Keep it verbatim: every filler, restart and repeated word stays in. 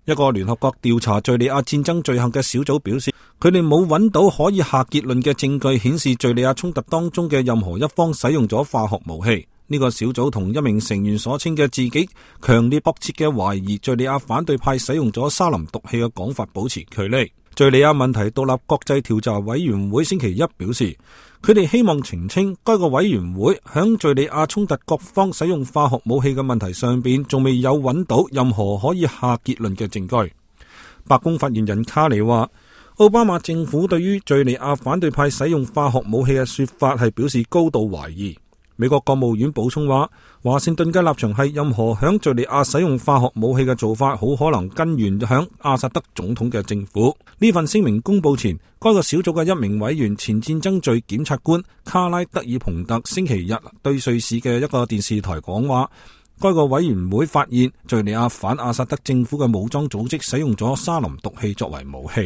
一個聯合國調查敘利亞戰爭罪行嘅小組表示，佢哋冇揾到可以下結論嘅證據顯示敘利亞衝突當中嘅任何一方使用咗化學武器。呢個小組同一名成員所稱嘅自己強烈迫切嘅懷疑敘利亞反對派使用咗沙林毒氣嘅講法保持距離。敘利亞問題獨立國際調查委員會星期一表示，佢哋希望澄清該個委員會響敘利亞衝突各方使用化學武器嘅問題上邊，仲未有揾到任何可以下結論嘅證據。白宮發言人卡尼話，奧巴馬政府對於敘利亞反對派使用化學武器嘅說法係表示高度懷疑。美國國務院補充話，華盛頓嘅立場係任何響敘利亞使用化學武器嘅做法，好可能根源響阿薩德總統嘅政府。呢份聲明公布前，該個小組嘅一名委員、前戰爭罪檢察官卡拉德爾蓬特星期日對瑞士嘅一個電視台講話，該個委員會發現敘利亞反阿薩德政府嘅武裝組織使用咗沙林毒氣作為武器。